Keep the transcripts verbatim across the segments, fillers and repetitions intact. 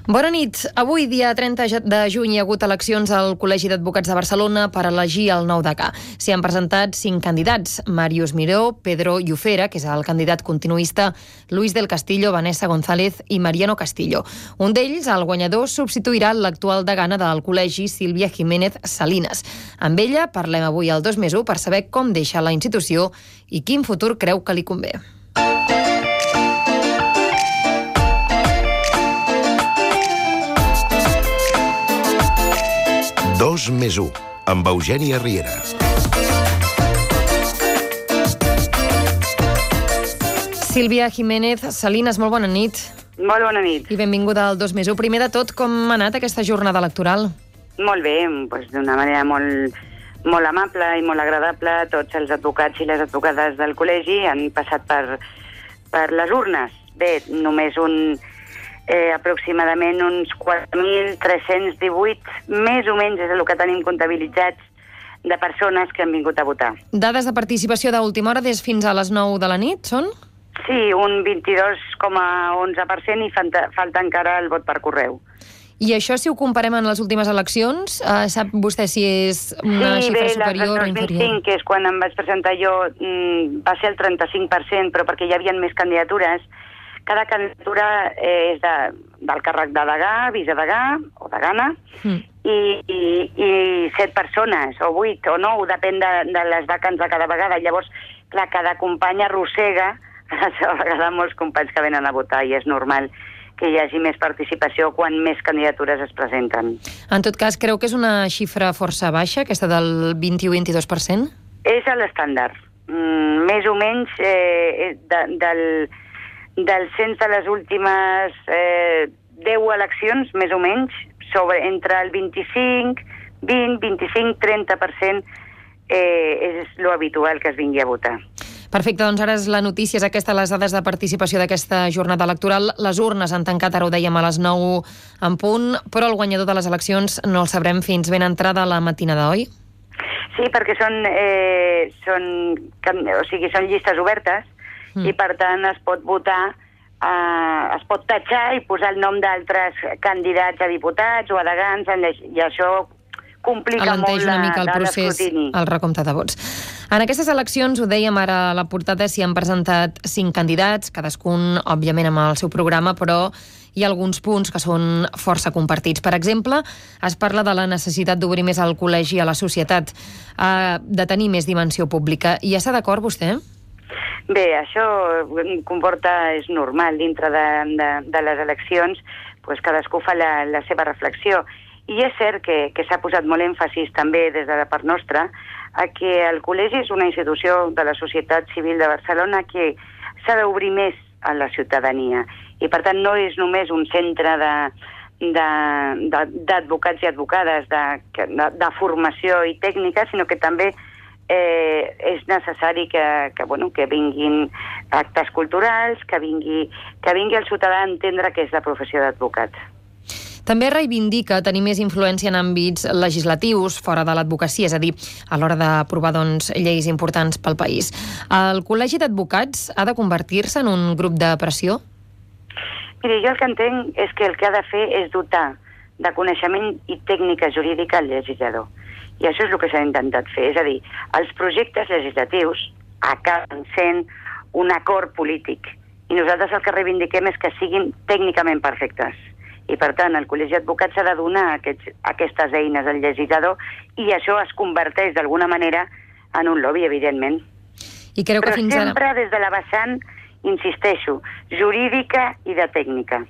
Bona nit. Avui, dia trenta de juny, hi ha hagut eleccions al Col·legi d'Advocats de Barcelona per elegir el nou degà. S'hi han presentat cinc candidats: Màrius Miró, Pedro Llufera, que és el candidat continuista, Luis del Castillo, Vanessa González i Mariano Castillo. Un d'ells, el guanyador, substituirà l'actual degana del Col·legi, Sílvia Jiménez Salinas. Amb ella parlem avui al dos més u per saber com deixa la institució i quin futur creu que li convé. dos més u, amb Eugènia Riera. Sílvia Jiménez Salinas, molt bona nit. Molt bona nit. I benvinguda al dos més u. Primer de tot, com ha anat aquesta jornada electoral? Molt bé, doncs d'una manera molt, molt amable i molt agradable. Tots els advocats i les advocades del col·legi han passat per, per les urnes. Bé, només un... Eh, aproximadament uns quatre mil tres-cents divuit, més o menys és el que tenim comptabilitzats de persones que han vingut a votar. Dades de participació d'última hora des fins a les nou de la nit, són? Sí, un vint-i-dos coma onze per cent i falta, falta encara el vot per correu. I això, si ho comparem amb les últimes eleccions, eh, sap vostè si és una sí, xifra bé, superior o inferior? Sí, bé, el dos mil cinc, que és quan em vaig presentar jo, va ser el trenta-cinc per cent, però perquè hi havia més candidatures. Cada candidatura eh, és de, del càrrec de degà, vicedegà o degana, mm. i, i, i set persones, o vuit, o nou, depèn de, de les vacants de cada vegada. Llavors, clar, cada company arrossega a la vegada molts companys que venen a votar, i és normal que hi hagi més participació quan més candidatures es presenten. En tot cas, creu que és una xifra força baixa, aquesta del vint-i-u a vint-i-dos per cent? És l'estàndard. Mm, més o menys eh, de, del... del cens de les últimes eh, deu eleccions, més o menys, sobre, entre el vint-i-cinc, vint, vint-i-cinc, trenta per cent eh, és lo habitual que es vingui a votar. Perfecte, doncs ara és la notícia, és aquesta, les dades de participació d'aquesta jornada electoral. Les urnes han tancat, ara ho dèiem, a les nou en punt, però el guanyador de les eleccions no el sabrem fins ben entrada a la matinada, oi? Sí, perquè són, eh, són, o sigui, són llistes obertes, i per tant es pot votar, eh, es pot tatxar i posar el nom d'altres candidats a diputats o a degans, i això complica molt una mica el procés, el recompte de vots. En aquestes eleccions, ho dèiem ara a la portada, s'hi han presentat cinc candidats, cadascun, òbviament, amb el seu programa, però hi ha alguns punts que són força compartits. Per exemple, es parla de la necessitat d'obrir més el col·legi a la societat, eh, de tenir més dimensió pública. I està d'acord, vostè? Bé, això comporta, és normal, dintre de, de, de les eleccions, doncs cadascú fa la, la seva reflexió. I és cert que, que s'ha posat molt èmfasis també des de la part nostra a que el col·legi és una institució de la societat civil de Barcelona que s'ha d'obrir més a la ciutadania. I per tant no és només un centre de d'advocats i advocades de, de, de formació i tècnica, sinó que també Eh, és necessari que, que, bueno, que vinguin actes culturals, que vingui, que vingui el ciutadà a entendre què és la professió d'advocat. També reivindica tenir més influència en àmbits legislatius fora de l'advocacia, és a dir, a l'hora d'aprovar doncs, lleis importants pel país. El Col·legi d'Advocats ha de convertir-se en un grup de pressió? Miri, jo el que entenc és que el que ha de fer és dotar de coneixement i tècnica jurídica al legislador. I això és el que s'ha intentat fer. És a dir, els projectes legislatius acaben sent un acord polític. I nosaltres el que reivindiquem és que siguin tècnicament perfectes. I, per tant, el Col·legi d'Advocats ha de donar aquests, aquestes eines al legislador, i això es converteix d'alguna manera en un lobby, evidentment. I creu que Però fins sempre ara... des de la vessant, insisteixo, jurídica i de tècnica.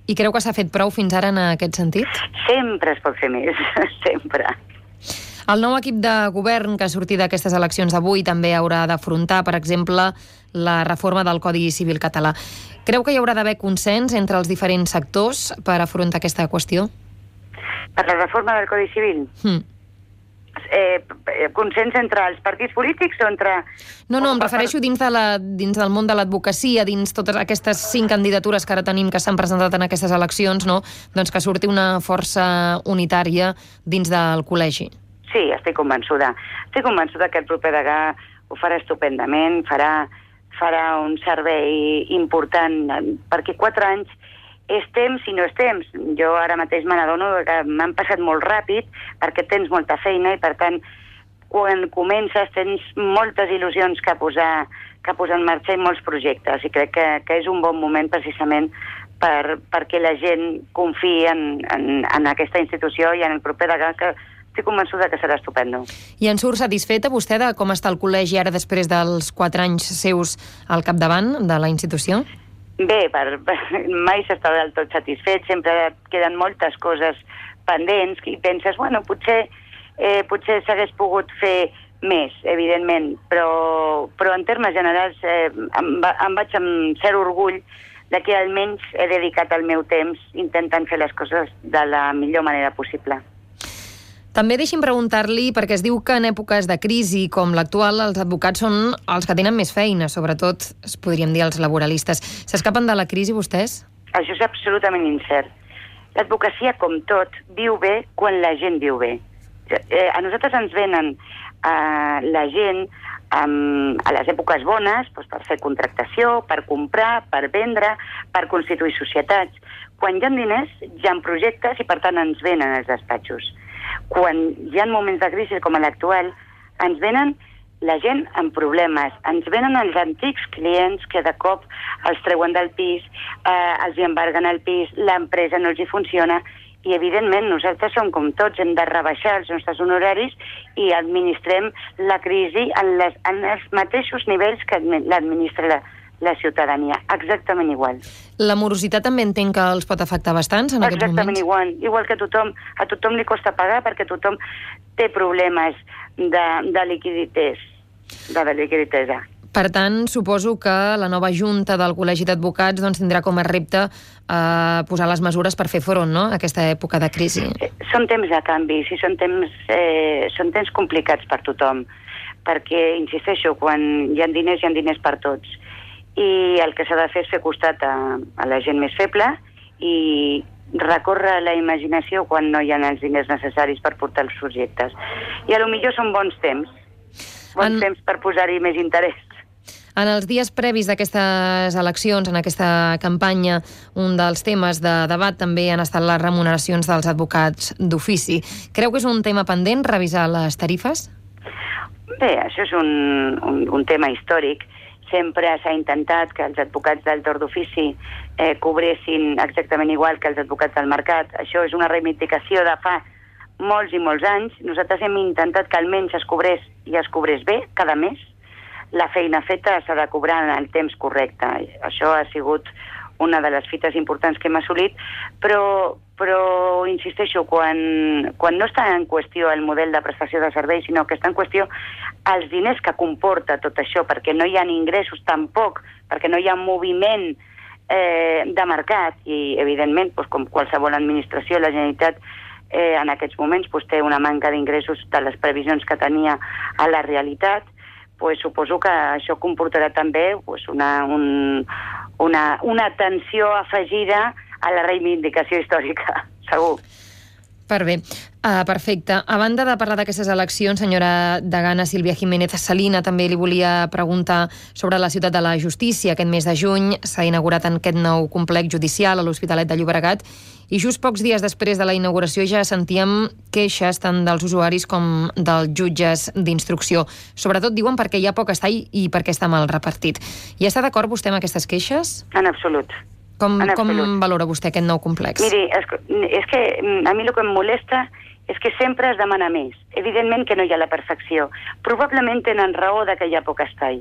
I creu que s'ha fet prou fins ara en aquest sentit? Sempre es pot fer més, sempre. El nou equip de govern que ha sortit d'aquestes eleccions d'avui també haurà d'afrontar, per exemple, la reforma del Codi Civil català. Creu que hi haurà d'haver consens entre els diferents sectors per afrontar aquesta qüestió? Per la reforma del Codi Civil? Hmm. Eh, consens entre els partits polítics o entre... No, no, em refereixo dins, de la, dins del món de l'advocacia, dins totes aquestes cinc candidatures que ara tenim que s'han presentat en aquestes eleccions, no? Doncs que surti una força unitària dins del col·legi. Sí, estic convençuda. Estic convençuda que el proper degà ho farà estupendament, farà, farà un servei important, perquè quatre anys és temps i no és temps. Jo ara mateix me n'adono que m'han passat molt ràpid perquè tens molta feina i, per tant, quan comences tens moltes il·lusions que posar, que posar en marxa i molts projectes. I crec que, que és un bon moment precisament per, perquè la gent confiï en, en, en aquesta institució i en el proper degà, que estic convençuda que serà estupendo. I en surt satisfeta vostè de com està el col·legi ara després dels quatre anys seus al capdavant de la institució? Bé, per, per, mai s'està del tot satisfet, sempre queden moltes coses pendents i penses, bueno, potser, eh, potser s'hagués pogut fer més, evidentment, però, però en termes generals eh, em, va, em vaig amb cert orgull de que almenys he dedicat el meu temps intentant fer les coses de la millor manera possible. També deixi'm preguntar-li, perquè es diu que en èpoques de crisi com l'actual els advocats són els que tenen més feina, sobretot, es podríem dir, els laboralistes. S'escapen de la crisi vostès? Això és absolutament incert. L'advocacia, com tot, viu bé quan la gent viu bé. Eh, a nosaltres ens venen eh, la gent um, a les èpoques bones doncs per fer contractació, per comprar, per vendre, per constituir societats. Quan hi ha diners, hi ha projectes i, per tant, ens venen els despatxos. Quan hi ha moments de crisi com l'actual, ens venen la gent amb problemes, ens venen els antics clients que de cop els treuen del pis, eh, els hi embarguen el pis, l'empresa no els hi funciona i, evidentment, nosaltres som com tots, hem de rebaixar els nostres honoraris i administrem la crisi en, les, en els mateixos nivells que l'administra la, la ciutadania, exactament igual. La morositat també entenc que els pot afectar bastants en aquests moments? Exactament igual, igual que a tothom, a tothom li costa pagar perquè tothom té problemes de, de liquidités, de, de liquiditesa. Per tant, suposo que la nova junta del Col·legi d'Advocats doncs, tindrà com a repte eh, posar les mesures per fer front, no?, a aquesta època de crisi. Són temps de canvi, sí, són temps, eh, són temps complicats per tothom, perquè, insisteixo, quan hi ha diners, hi ha diners per tots. I el que s'ha de fer és fer costat a, a la gent més feble i recórrer la imaginació quan no hi ha els diners necessaris per portar els projectes. I a lo millor són bons temps, bons en... temps per posar-hi més interès. En els dies previs d'aquestes eleccions, en aquesta campanya, un dels temes de debat també han estat les remuneracions dels advocats d'ofici. Creu que és un tema pendent, revisar les tarifes? Bé, això és un, un, un tema històric. Sempre s'ha intentat que els advocats del torn d'ofici eh, cobressin exactament igual que els advocats del mercat. Això és una reivindicació de fa molts i molts anys. Nosaltres hem intentat que almenys es cobrés i es cobrés bé cada mes. La feina feta s'ha de cobrar en el temps correcte. Això ha sigut una de les fites importants que hem assolit, però, però insisteixo, quan, quan no està en qüestió el model de prestació de serveis, sinó que està en qüestió els diners que comporta tot això, perquè no hi ha ingressos tampoc, perquè no hi ha moviment eh, de mercat, i evidentment, doncs, com qualsevol administració, la Generalitat eh, en aquests moments doncs, té una manca d'ingressos de les previsions que tenia a la realitat, pues suposo que això comportarà també pues, una, un, una, una atenció afegida a la reivindicació històrica, segur. Per bé, uh, perfecte. A banda de parlar d'aquestes eleccions, senyora degana Sílvia Jiménez Salina, també li volia preguntar sobre la Ciutat de la Justícia. Aquest mes de juny s'ha inaugurat en aquest nou complex judicial a l'Hospitalet de Llobregat i just pocs dies després de la inauguració ja sentíem queixes tant dels usuaris com dels jutges d'instrucció. Sobretot diuen perquè hi ha poc espai i perquè està mal repartit. I està d'acord vostè amb aquestes queixes? En absolut. Com, com valora vostè aquest nou complex? Miri, és, és que a mi el que em molesta és que sempre es demana més. Evidentment que no hi ha la perfecció. Probablement tenen raó de que hi ha poc espai,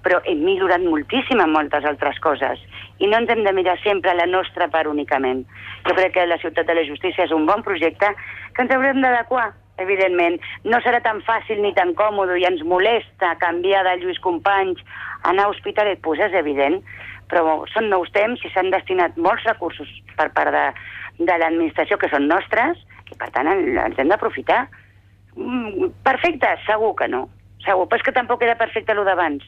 però hem millorat moltíssim en moltes altres coses i no ens hem de mirar sempre la nostra part únicament. Jo crec que la Ciutat de la Justícia és un bon projecte que ens haurem d'adequar, evidentment. No serà tan fàcil ni tan còmode i ens molesta canviar de Lluís Companys a anar a Hospitalet, doncs és evident, però són nous temps i s'han destinat molts recursos per part de, de l'administració que són nostres i per tant ens hem d'aprofitar. Perfecte? Segur que no. Segur, però és que tampoc era perfecte el d'abans.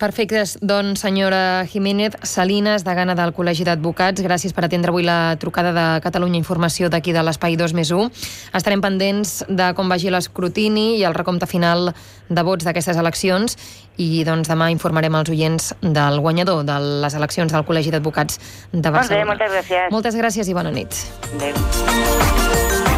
Perfecte, doncs senyora Jiménez Salinas, degana del Col·legi d'Advocats, gràcies per atendre avui la trucada de Catalunya Informació d'aquí de l'Espai dos més u. Estarem pendents de com vagi l'escrutini i el recompte final de vots d'aquestes eleccions i doncs demà informarem els oients del guanyador de les eleccions del Col·legi d'Advocats de Barcelona. Molt bé, moltes gràcies. Moltes gràcies i bona nit. Adéu.